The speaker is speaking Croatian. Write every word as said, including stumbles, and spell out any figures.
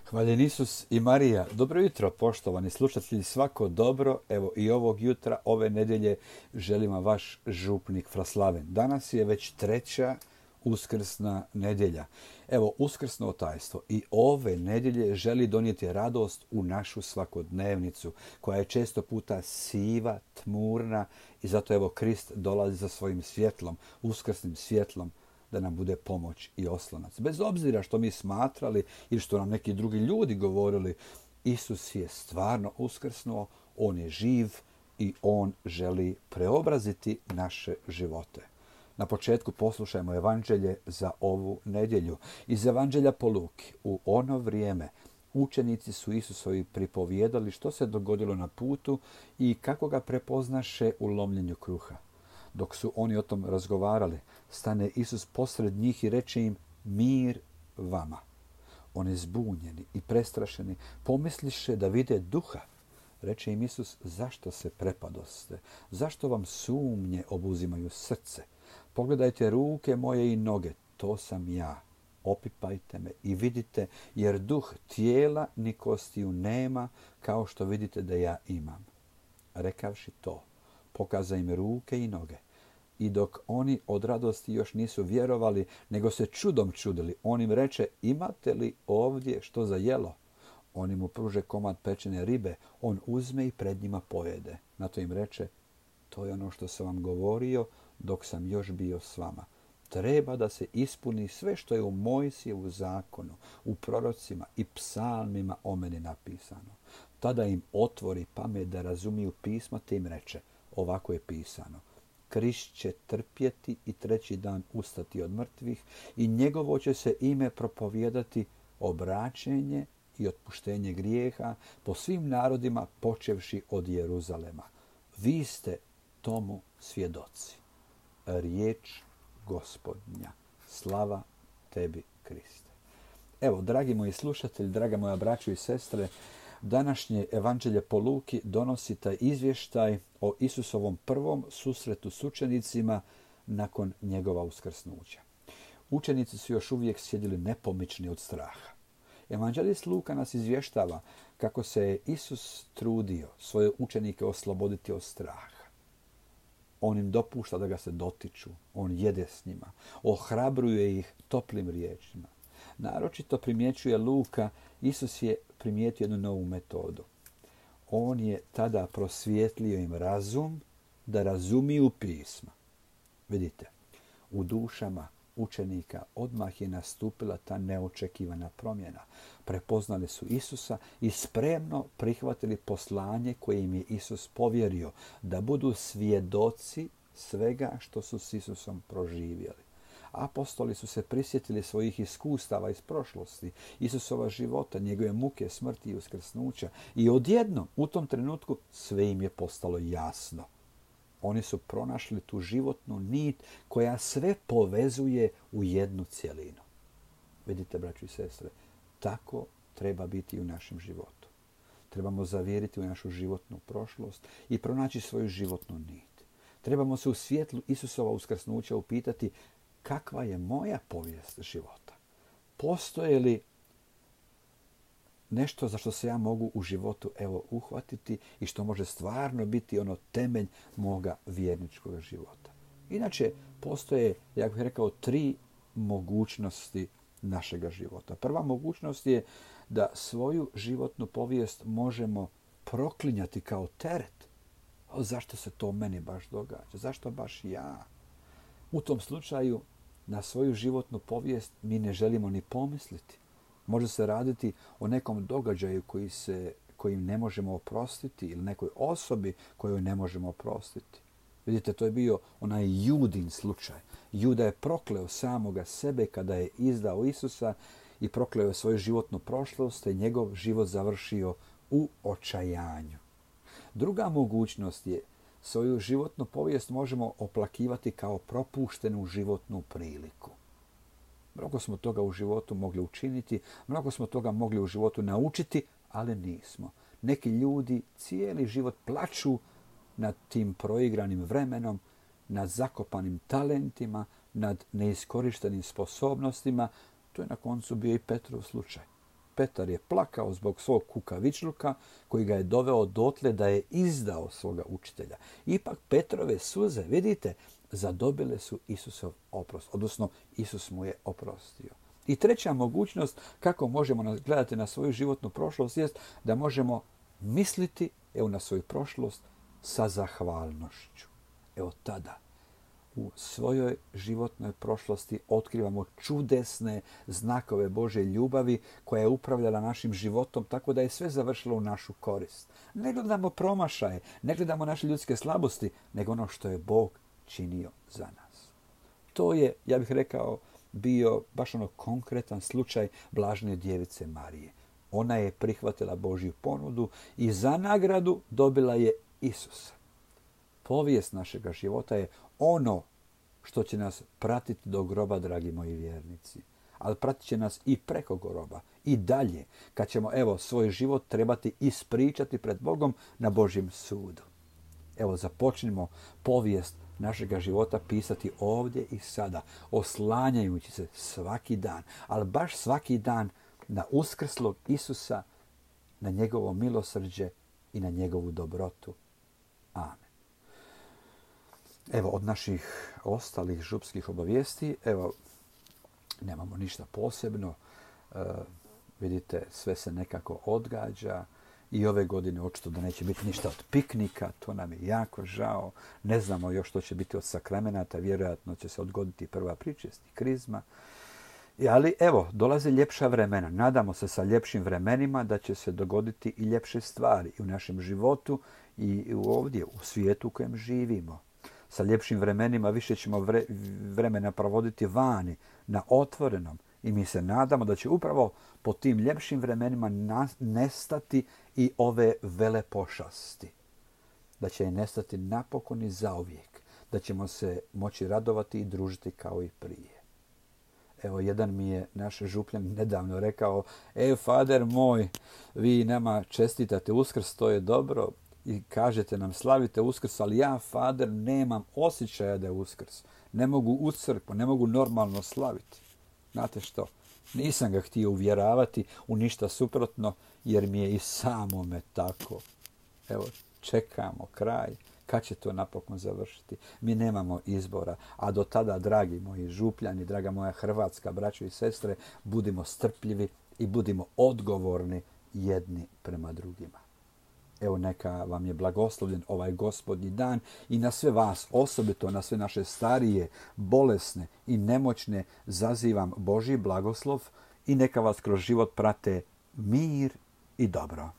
Hvaljen Isus i Marija. Dobro jutro, poštovani slušatelji, svako dobro. Evo i ovog jutra, ove nedjelje, želim vam vaš župnik Fraslaven. Danas je već treća uskrsna nedjelja. Evo, uskrsno tajstvo i ove nedjelje želi donijeti radost u našu svakodnevnicu, koja je često puta siva, tmurna i zato evo Krist dolazi sa svojim svjetlom, uskrsnim svjetlom, da nam bude pomoć i oslonac. Bez obzira što mi smatrali ili što nam neki drugi ljudi govorili, Isus je stvarno uskrsnuo, on je živ i on želi preobraziti naše živote. Na početku poslušajmo evanđelje za ovu nedjelju. Iz evanđelja po Luki. U ono vrijeme učenici su Isusovi pripovijedali što se dogodilo na putu i kako ga prepoznaše u lomljenju kruha. Dok su oni o tom razgovarali, stane Isus posred njih i reče im: mir vama. Oni zbunjeni i prestrašeni pomisliše da vide duha. Reče im Isus: zašto se prepadoste? Zašto vam sumnje obuzimaju srce? Pogledajte ruke moje i noge, to sam ja. Opipajte me i vidite, jer duh tijela ni kostiju nema, kao što vidite da ja imam. Rekavši to, pokaza im ruke i noge. I dok oni od radosti još nisu vjerovali, nego se čudom čudili, on im reče: imate li ovdje što za jelo? Oni mu pruže komad pečene ribe, on uzme i pred njima pojede. Na to im reče: to je ono što sam vam govorio dok sam još bio s vama. Treba da se ispuni sve što je u Mojsijevu zakonu, u prorocima i psalmima o meni napisano. Tada im otvori pamet da razumiju pisma, te im reče: ovako je pisano: Krist će trpjeti i treći dan ustati od mrtvih i njegovo će se ime propovijedati obraćenje i otpuštenje grijeha po svim narodima počevši od Jeruzalema. Vi ste tomu svjedoci. Riječ Gospodnja. Slava tebi, Kriste. Evo, dragi moji slušatelji, draga moja braćo i sestre, današnje evanđelje po Luki donosi taj izvještaj o Isusovom prvom susretu s učenicima nakon njegova uskrsnuća. Učenici su još uvijek sjedili nepomični od straha. Evanđelist Luka nas izvještava kako se je Isus trudio svoje učenike osloboditi od straha. On im dopušta da ga se dotiču, on jede s njima, ohrabruje ih toplim riječima. Naročito primjećuje Luka, Isus je primijetio jednu novu metodu. On je tada prosvjetlio im razum da razumiju pisma. Vidite, u dušama učenika odmah je nastupila ta neočekivana promjena. Prepoznali su Isusa i spremno prihvatili poslanje koje im je Isus povjerio, da budu svjedoci svega što su s Isusom proživjeli. Apostoli su se prisjetili svojih iskustava iz prošlosti, Isusova života, njegove muke, smrti i uskrsnuća i odjednom u tom trenutku sve im je postalo jasno. Oni su pronašli tu životnu nit koja sve povezuje u jednu cjelinu. Vidite, braćo i sestre, tako treba biti i u našem životu. Trebamo zavjeriti u našu životnu prošlost i pronaći svoju životnu nit. Trebamo se u svjetlu Isusova uskrsnuća upitati: kakva je moja povijest života? Postoje li nešto za što se ja mogu u životu evo uhvatiti i što može stvarno biti ono temelj moga vjerničkog života? Inače, postoje, ja bih rekao, tri mogućnosti našega života. Prva mogućnost je da svoju životnu povijest možemo proklinjati kao teret. O, zašto se to meni baš događa? Zašto baš ja? U tom slučaju na svoju životnu povijest mi ne želimo ni pomisliti. Može se raditi o nekom događaju koji se, kojim ne možemo oprostiti ili nekoj osobi koju ne možemo oprostiti. Vidite, to je bio onaj Judin slučaj. Juda je prokleo samoga sebe kada je izdao Isusa i prokleo je svoju životnu prošlost i njegov život završio u očajanju. Druga mogućnost je: svoju životnu povijest možemo oplakivati kao propuštenu životnu priliku. Mnogo smo toga u životu mogli učiniti, mnogo smo toga mogli u životu naučiti, ali nismo. Neki ljudi cijeli život plaču nad tim proigranim vremenom, nad zakopanim talentima, nad neiskorištenim sposobnostima. To je na koncu bio i Petrov slučaj. Petar je plakao zbog svog kukavičluka koji ga je doveo dotle da je izdao svoga učitelja. Ipak Petrove suze, vidite, zadobile su Isusov oprost, odnosno Isus mu je oprostio. I treća mogućnost kako možemo gledati na svoju životnu prošlost jest da možemo misliti evo, na svoju prošlost sa zahvalnošću. Evo tada u svojoj životnoj prošlosti otkrivamo čudesne znakove Božje ljubavi koja je upravljala našim životom tako da je sve završilo u našu korist. Ne gledamo promašaje, ne gledamo naše ljudske slabosti, nego ono što je Bog činio za nas. To je, ja bih rekao, bio baš ono konkretan slučaj blažene djevice Marije. Ona je prihvatila Božju ponudu i za nagradu dobila je Isusa. Povijest našega života je ono što će nas pratiti do groba, dragi moji vjernici. Ali pratit će nas i preko groba, i dalje, kad ćemo evo svoj život trebati ispričati pred Bogom na Božjem sudu. Evo, započnimo povijest našega života pisati ovdje i sada, oslanjajući se svaki dan, ali baš svaki dan na uskrslog Isusa, na njegovo milosrđe i na njegovu dobrotu. Amen. Evo, od naših ostalih župskih obavijesti, evo, nemamo ništa posebno. E, vidite, sve se nekako odgađa. I ove godine očito da neće biti ništa od piknika, to nam je jako žao. Ne znamo još što će biti od sakramenata, vjerojatno će se odgoditi prva pričest i krizma. I, ali evo, dolaze ljepša vremena. Nadamo se sa ljepšim vremenima da će se dogoditi i ljepše stvari i u našem životu i ovdje u svijetu u kojem živimo. Sa ljepšim vremenima više ćemo vre, vremena provoditi vani, na otvorenom. I mi se nadamo da će upravo po tim ljepšim vremenima nestati i ove vele pošasti. Da će je nestati napokon i zauvijek. Da ćemo se moći radovati i družiti kao i prije. Evo, jedan mi je naš župljan nedavno rekao, e, fader moj, vi nama čestitate Uskrs, to je dobro, i kažete nam slavite Uskrs, ali ja, fader, nemam osjećaja da je Uskrs. Ne mogu u crkvu, ne mogu normalno slaviti. Znate što? Nisam ga htio uvjeravati u ništa suprotno, jer mi je i samome tako. Evo, čekamo kraj. Kad će to napokon završiti? Mi nemamo izbora. A do tada, dragi moji župljani, draga moja hrvatska braćo i sestre, budimo strpljivi i budimo odgovorni jedni prema drugima. Evo, neka vam je blagoslovljen ovaj gospodnji dan i na sve vas, osobito na sve naše starije, bolesne i nemoćne, zazivam Božji blagoslov i neka vas kroz život prate mir i dobro.